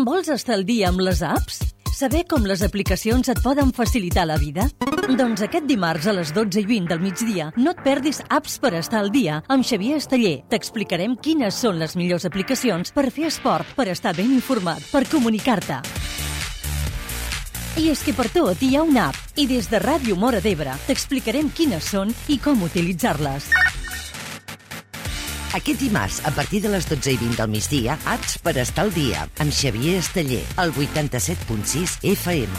Vols estar al dia amb les apps? Saber com les aplicacions et poden facilitar la vida? Doncs aquest dimarts a les 12:20 del migdia no et perdis Apps per estar al dia amb Xavier Esteller. T'explicarem quines són les millors aplicacions per fer esport, per estar ben informat, per comunicar-te. I és que per tot hi ha una app i des de Ràdio Móra d'Ebre t'explicarem quines són i com utilitzar-les. Aquest dimarts, a partir de les 12:20 del migdia, Apps per estar al dia, amb Xavier Esteller, al 87.6 FM.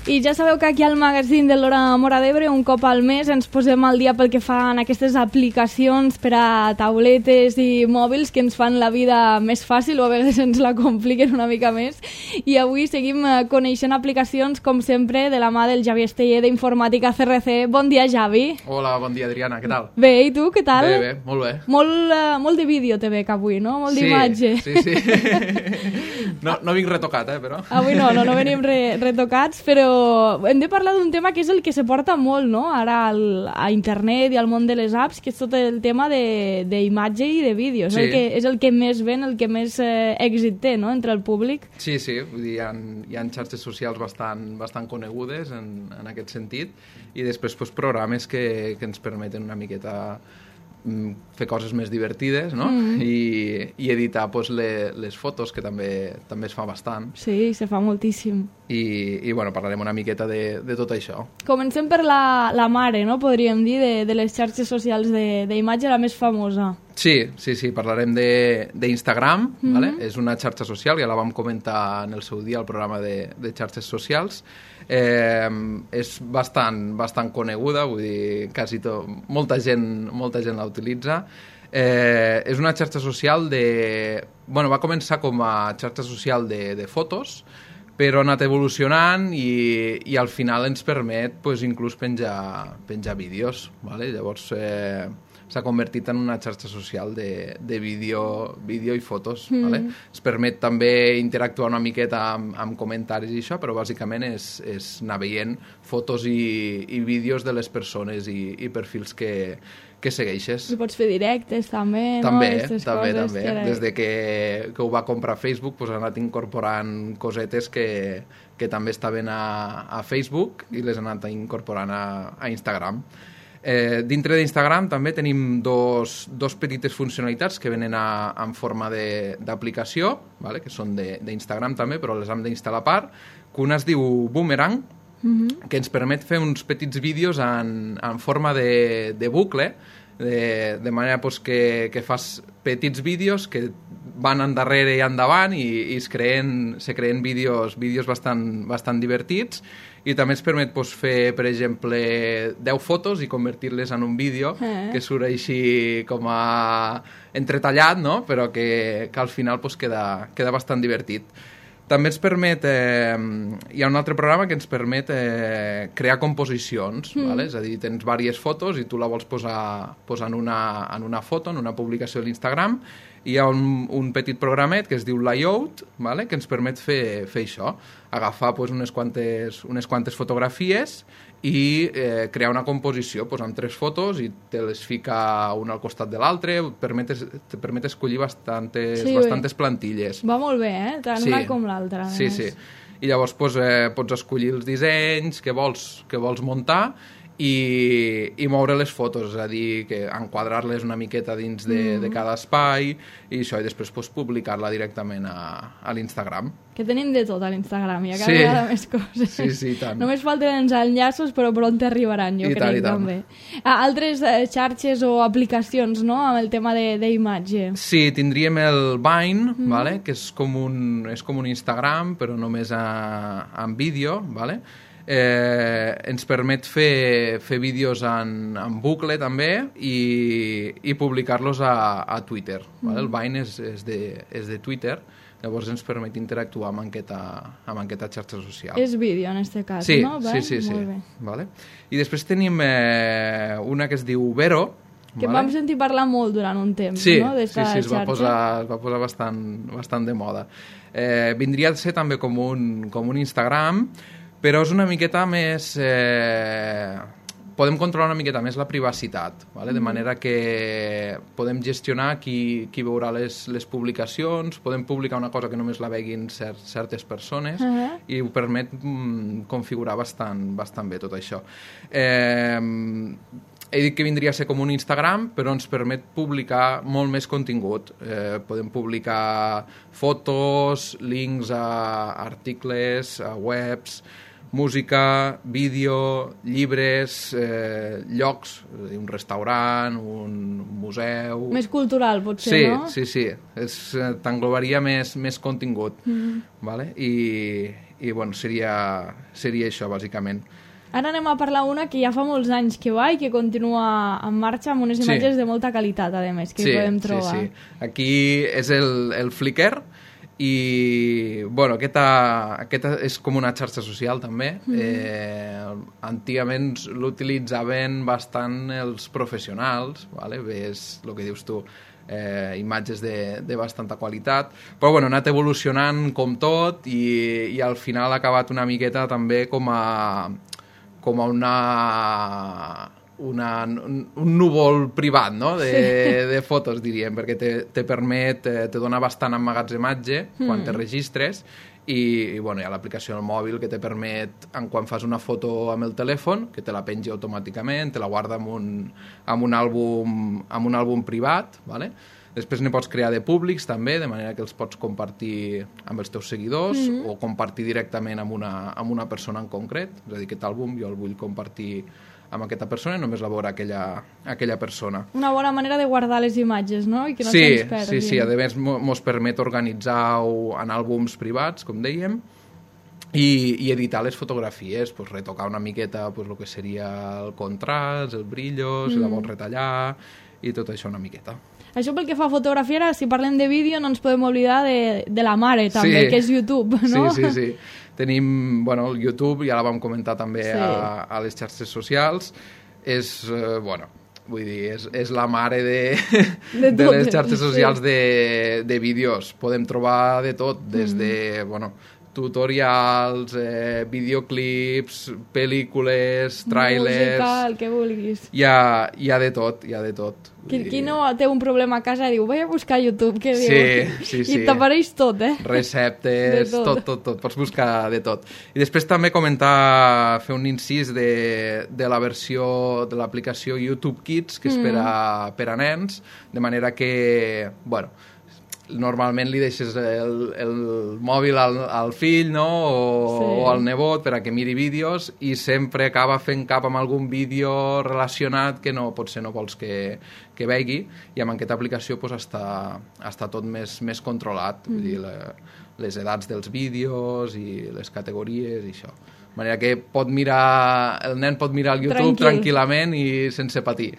I ja sabeu que aquí al magazín de l'Hora Móra d'Ebre un cop al mes ens posem al dia pel que fan aquestes aplicacions per a tauletes i mòbils que ens fan la vida més fàcil o a vegades ens la compliquen una mica més. I avui seguim coneixent aplicacions com sempre de la mà del Javi Esteller d'Informàtica CRC. Bon dia, Javi. Hola, bon dia, Adriana, què tal? Bé, i tu, què tal? Bé, molt bé. Molt de vídeo te veig avui, no? Molt d'imatge. Sí. No vinc retocat, però... Avui no venim retocats, però hem de parlar d'un tema que és el que se porta molt, no? Ara a internet i al món de les apps, que és tot el tema d'imatge i de vídeo. Sí. És el que més ven, el que més èxit té, no?, entre el públic. Sí, vull dir, hi ha xarxes socials bastant conegudes en aquest sentit, i després programes que ens permeten una miqueta fer coses més divertides, no? I editar les fotos, que també es fa bastant. Sí, se fa moltíssim. I bueno, parlarem una miqueta de tot això. Comencem per la mare, no?, podríem dir, de les xarxes socials d'imatge, la més famosa. Sí, parlarem d'Instagram, ¿vale? És una xarxa social, ja la vam comentar en el seu dia al programa de xarxes socials. És bastant coneguda, vull dir, quasi molta gent la utilitza. És una xarxa social va començar com a xarxa social de fotos, però ha anat evolucionant i al final ens permet inclús penjar vídeos, ¿vale? Llavors s'ha convertit en una xarxa social de vídeo i fotos, ¿vale? Es permet també interactuar una miqueta amb comentaris i això, però bàsicament és anar veient fotos i vídeos de les persones i perfils que segueixes. I pots fer directes també, no? També. Des de que ho va comprar Facebook ha anat incorporant cosetes que també estaven a Facebook i les ha anat incorporant a Instagram. Dintre d'Instagram també tenim dos petites funcionalitats que venen en forma d'aplicació, ¿vale? Que són d'Instagram també, però les hem d'instal·lar a part, que una es diu Boomerang, que ens permet fer uns petits vídeos en forma de bucle, de manera que fas petits vídeos que van endarrere i endavant i se creen vídeos bastant divertits, i també ens permet fer, per exemple, 10 fotos i convertir-les en un vídeo que surt així com a entretallat, no? Però que al final queda bastant divertit. També ens permet... hi ha un altre programa que ens permet crear composicions, ¿vale? És a dir, tens diverses fotos i tu la vols posar en una foto, en una publicació de l'Instagram, i hi ha un petit programet que es diu Layout, ¿vale? Que ens permet fer això, agafar unes quantes fotografies i crear una composició amb 3 fotos i te les fica una al costat de l'altre, te permet escollir bastantes plantilles. Va molt bé, tant una com l'altra. Sí. I llavors pots escollir els dissenys que vols muntar i moure les fotos, és a dir, que enquadrar-les una miqueta dins de cada espai i això, i després publicar-la directament a l'Instagram. Que tenim de tot a l'Instagram, i a cada vegada més coses. Sí, tant. Només falten els enllaços, però pront arribaran, jo crec, també. Altres xarxes o aplicacions, no?, amb el tema d'imatge. Sí, tindríem el Vine, ¿vale? Que és com un Instagram, però només en vídeo, ¿vale? Ens permet fer vídeos en bucle també i publicar-los a Twitter, ¿vale? El Vine és de Twitter, llavors ens permet interactuar amb aquesta xarxa social. És vídeo en aquest cas, sí, no? Sí. Vale. I després tenim una que es diu Vero, Que vam sentir parlar molt durant un temps, no? Sí, es va posar bastant de moda. Vindria a ser també com un Instagram, però és una miqueta més... podem controlar una miqueta més la privacitat, ¿vale? De manera que podem gestionar qui veurà les publicacions, podem publicar una cosa que només la veguin certes persones i ho permet configurar bastant bé tot això. He dit que vindria a ser com un Instagram, però ens permet publicar molt més contingut. Podem publicar fotos, links a articles, a webs, música, vídeo, llibres, llocs, un restaurant, un museu... Més cultural, potser, no? Sí. T'englobaria més contingut. ¿Vale? I bueno, seria això, bàsicament. Ara anem a parlar una que ja fa molts anys que va i que continua en marxa amb unes imatges de molta qualitat, a més, que podem trobar. Sí. Aquí és el Flickr, i bueno, aquesta és com una xarxa social també. Antigament l'utilitzaven bastant els professionals, ¿vale? Ves el que dius tu, imatges de bastanta qualitat, però bueno, ha anat evolucionant com tot i al final ha acabat una miqueta també com a un núvol privat, no? de fotos, diríem, perquè te permet, te dona bastant emmagatzematge quan te registres i bueno, hi ha l'aplicació del mòbil que te permet, quan fas una foto amb el telèfon, que te la pengi automàticament, te la guarda amb un àlbum privat, ¿vale? Després ne pots crear de públics també, de manera que els pots compartir amb els teus seguidors o compartir directament amb una persona en concret. És a dir, aquest àlbum jo el vull compartir amb aquesta persona i només la veurà aquella persona. Una bona manera de guardar les imatges, no? I que no se'ns perdin. Sí. A més, mos permet organitzar-ho en àlbums privats, com dèiem, i editar les fotografies, pues, retocar una miqueta pues, el que seria el contrast, el brillo, si la vols retallar, i tot això una miqueta. Això pel que fa a fotografia, ara, si parlem de vídeo, no ens podem oblidar de la mare, també, que és YouTube, no? Sí. Tenim, bueno, el YouTube, ja la vam comentar també a les xarxes socials. És, bueno, vull dir, és la mare de les xarxes socials de vídeos. Podem trobar de tot, des de, bueno, tutorials, videoclips, pel·lícules, trailers... Música, el que vulguis. Hi ha de tot. Qui no té un problema a casa diu, vaig a buscar a YouTube, què diu? Sí. I t'apareix tot, Receptes, tot. Pots buscar de tot. I després també fer un incís de la versió de l'aplicació YouTube Kids, que és per a nens, de manera que, bueno, normalment li deixes el mòbil al fill, no? O al nebot per a que miri vídeos i sempre acaba fent cap amb algun vídeo relacionat que potser no vols que vegi, i amb aquesta aplicació pues, està tot més controlat, vull dir, les edats dels vídeos i les categories i això. De manera que el nen pot mirar el YouTube tranquil·lament i sense patir.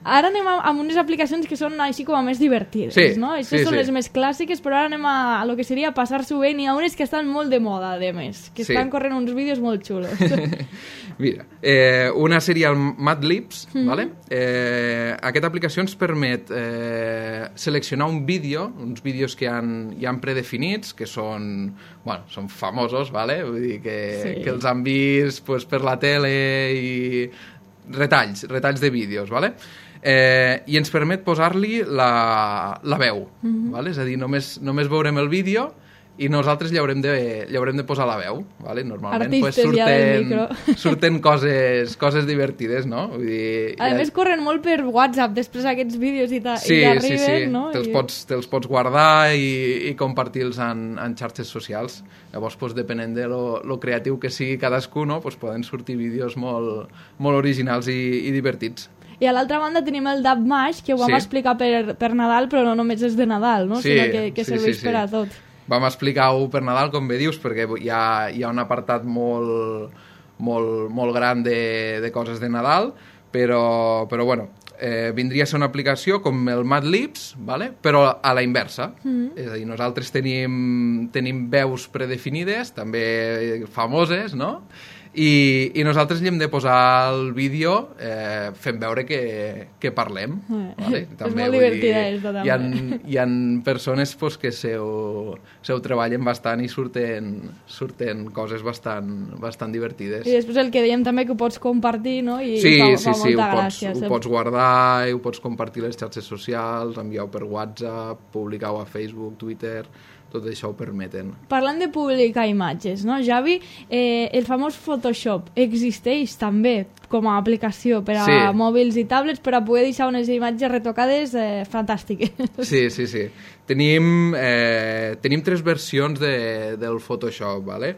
Ara anem amb unes aplicacions que són així com a més divertides, no? Aquestes són les més clàssiques, però ara anem a lo que seria passar-s'ho bé. N'hi ha unes que estan molt de moda, a més, que estan corrent uns vídeos molt xulos. Mira, una seria el Madlibs, ¿vale? Aquesta aplicació ens permet seleccionar un vídeo, uns vídeos que hi han predefinits, que són famosos, ¿vale? Vull dir que els han vist pues, per la tele i retalls de vídeos, ¿vale? I ens permet posar-li la veu, ¿vale? És a dir, només veurem el vídeo i nosaltres li haurem de posar la veu, ¿vale? Normalment pues, surten coses divertides, no? Vull dir, a més corren molt per WhatsApp després aquests vídeos i t'arriben, no? Te'ls pots guardar i compartir-los en xarxes socials. Llavors, pues, depenent de lo creatiu que sigui cadascú, no? Pues, poden sortir vídeos molt originals i divertits. I a l'altra banda tenim el DubMash, que ho vam explicar per Nadal, però no només és de Nadal, no? Sinó que serveix per a tot. Vam explicar-ho per Nadal, com bé dius, perquè hi ha un apartat molt gran de coses de Nadal, però bueno, vindria a ser una aplicació com el Madlibs, ¿vale? Però a la inversa. És a dir, nosaltres tenim veus predefinides, també famoses, no? I nosaltres li hem de posar el vídeo fent veure que parlem. Vale? També, és molt divertida, també. Hi ha persones pues, que seu treballen bastant i surten coses bastant divertides. I després el que dèiem també que ho pots compartir, no? I sí, fa molta gràcia. Ho pots guardar, ho pots compartir a les xarxes socials, enviar-ho per WhatsApp, publicar-ho a Facebook, Twitter... tot això ho permeten. Parlant de publicar imatges, no, Javi? El famós Photoshop existeix també com a aplicació per a mòbils i tablets per a poder deixar unes imatges retocades fantàstiques. Sí. Tenim 3 versions del Photoshop, ¿vale?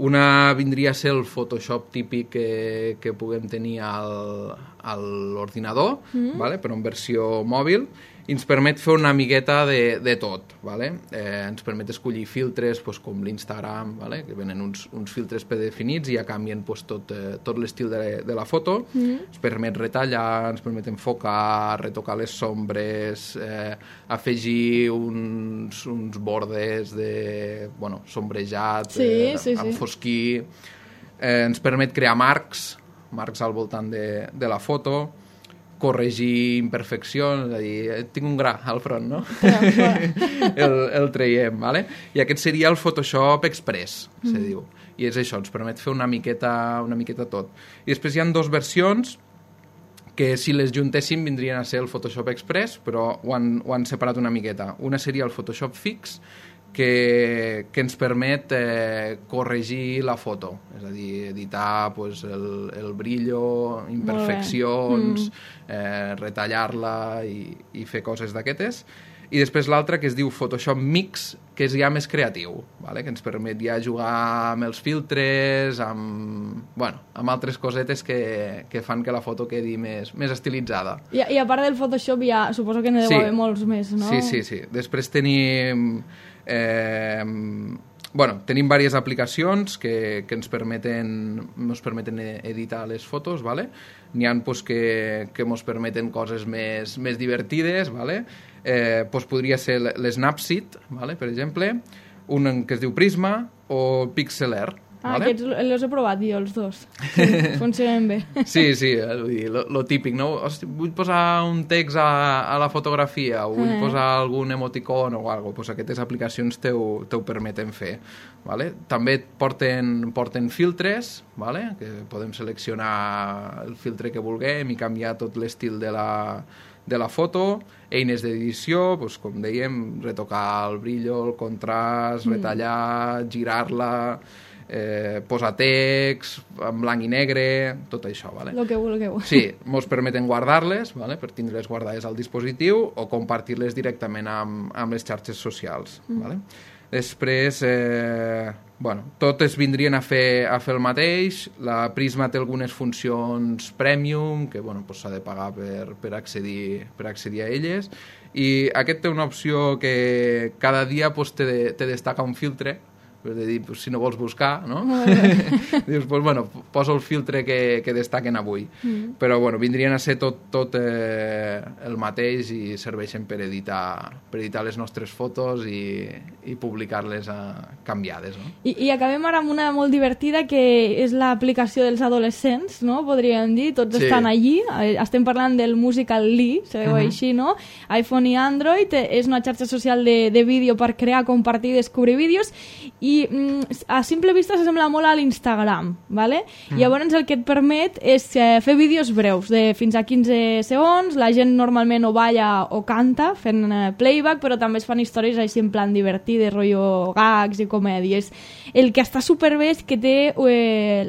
Una vindria a ser el Photoshop típic que puguem tenir a l'ordinador, ¿vale? Però en versió mòbil, i ens permet fer una miqueta de tot, ¿vale? Ens permet escollir filtres pues, com l'Instagram, ¿vale? Que venen uns filtres predefinits i ja canvien pues, tot l'estil de la foto. Ens permet retallar, ens permet enfocar, retocar les sombres, afegir uns bordes de sombrejat, enfosquir. Ens permet crear marcs al voltant de la foto, corregir imperfeccions, és a dir, tinc un gra al front, no? el traiem, ¿vale? I aquest seria el Photoshop Express, se diu. I és això, ens permet fer una miqueta tot. I després hi ha 2 versions que si les juntéssim vindrien a ser el Photoshop Express, però ho han separat una miqueta. Una seria el Photoshop Fix, que ens permet corregir la foto, és a dir, editar pues, el brillo, imperfeccions, retallar-la i fer coses d'aquestes. I després l'altra que es diu Photoshop Mix, que és ja més creatiu, ¿vale? Que ens permet ja jugar amb els filtres, amb altres cosetes que fan que la foto quedi més estilitzada. I a part del Photoshop ja suposo que n'hi deu haver molts més, no? Sí. Després tenim diverses aplicacions que ens permeten editar les fotos, ¿vale? N'hi ha pues, que ens permeten coses més divertides, ¿vale? Podria ser l'Snapseed, ¿vale? Per exemple, un que es diu Prisma o Pixlr. ¿Vale? Aquests els he provat jo, els dos. Sí, funcionen bé. Sí, lo típic, no? Hosti, vull posar un text a la fotografia o vull posar algun emoticon o alguna cosa. Pues aquestes aplicacions t'ho permeten fer. ¿Vale? També porten filtres, ¿vale? Que podem seleccionar el filtre que vulguem i canviar tot l'estil de la foto, eines d'edició, pues, com dèiem, retocar el brillo, el contrast, retallar, girar-la, posar text, en blanc i negre, tot això, ¿vale? Lo que vulgueu. Sí, ens permeten guardar-les, ¿vale? Per tindre-les guardades al dispositiu o compartir-les directament amb les xarxes socials, ¿vale? Després, totes vindrien a fer el mateix. La Prisma té algunes funcions premium, que s'ha de pagar per accedir a elles. I aquest té una opció que cada dia te destaca un filtre, és a dir, si no vols buscar, no? Dius, poso el filtre que destaquen avui. Però, vindrien a ser tot el mateix i serveixen per editar les nostres fotos i publicar-les canviades, no? I acabem ara amb una molt divertida que és l'aplicació dels adolescents, no? Podríem dir, tots estan allí. Estem parlant del Musical.ly, sabeu així, no? iPhone i Android, és una xarxa social de vídeo per crear, compartir i descobrir vídeos i a simple vista s'assembla molt a l'Instagram, ¿vale? Llavors el que et permet és fer vídeos breus de fins a 15 segons, la gent normalment o balla o canta fent playback, però també es fan històries així en plan divertides, rotllo gags i comèdies. El que està superbé és que té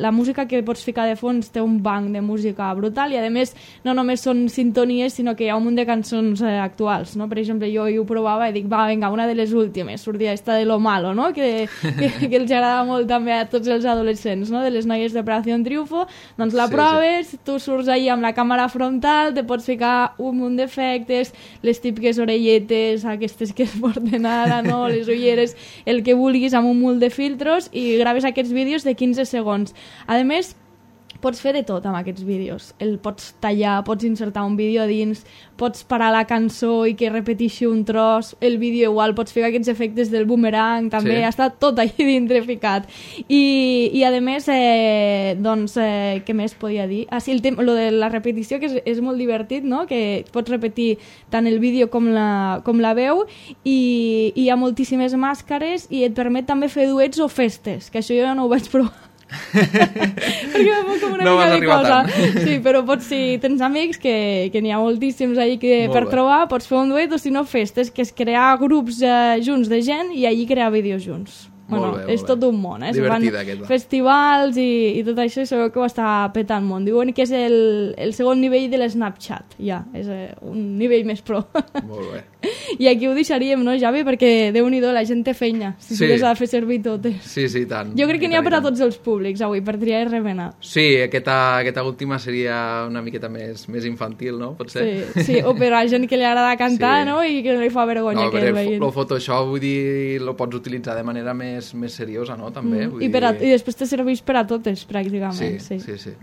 la música que pots ficar de fons, té un banc de música brutal i a més no només són sintonies sinó que hi ha un munt de cançons actuals, no? Per exemple, jo ho provava i dic, vinga, una de les últimes, sortia esta de Lo Malo, no? Que els agrada molt també a tots els adolescents, no? De les noies d'Operació Triunfo, doncs la proves, tu surts ahí amb la càmera frontal, te pots ficar un munt d'efectes, les típiques orelletes, aquestes que es porten ara, no? Les ulleres, el que vulguis, amb un munt de filtros i graves aquests vídeos de 15 segons. A més, Pots fer de tot amb aquests vídeos. El pots tallar, pots insertar un vídeo dins, pots parar la cançó i que repeteixi un tros, el vídeo igual, pots fer aquests efectes del boomerang, també està tot allà dintre ficat. I a més, doncs, què més podia dir? Ah, sí, lo de la repetició, que és molt divertit, no? Que pots repetir tant el vídeo com la veu, i hi ha moltíssimes màscares i et permet també fer duets o festes, que això jo ja no ho vaig provar. Perquè va com una mica de cosa. Sí, però si tens amics, que n'hi ha moltíssims ahí per trobar, pots fer un duet, o si no festes, que és crear grups junts de gent i allí crear vídeos junts. Bueno, és tot un món, divertida aquesta. Festivals i tot això, sabeu que ho està petant molt. Diuen que és el segon nivell de l'Snapchat, ja, és un nivell més pro. Molt bé. I aquí ho deixaríem, no, Javi? Perquè, Déu-n'hi-do, la gent té feina, si les ha de fer servir totes. Sí, tant. Jo crec que n'hi ha per a tots els públics, avui, per triar i remenar. Sí, aquesta última seria una miqueta més infantil, no? Potser? Sí, o per a gent que li agrada cantar, no? I que no li fa vergonya que el veient. El Photoshop, vull dir, lo pots utilitzar de manera més seriosa, no? També. I després te serveix per a totes, pràcticament. Sí.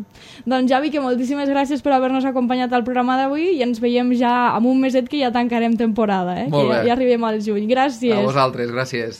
Doncs, Javi, que moltíssimes gràcies per haver-nos acompanyat al programa d'avui i ens veiem ja amb un meset que ja tancarem temporada, Molt bé. Ja arribem al juny. Gràcies. A vosaltres, gràcies.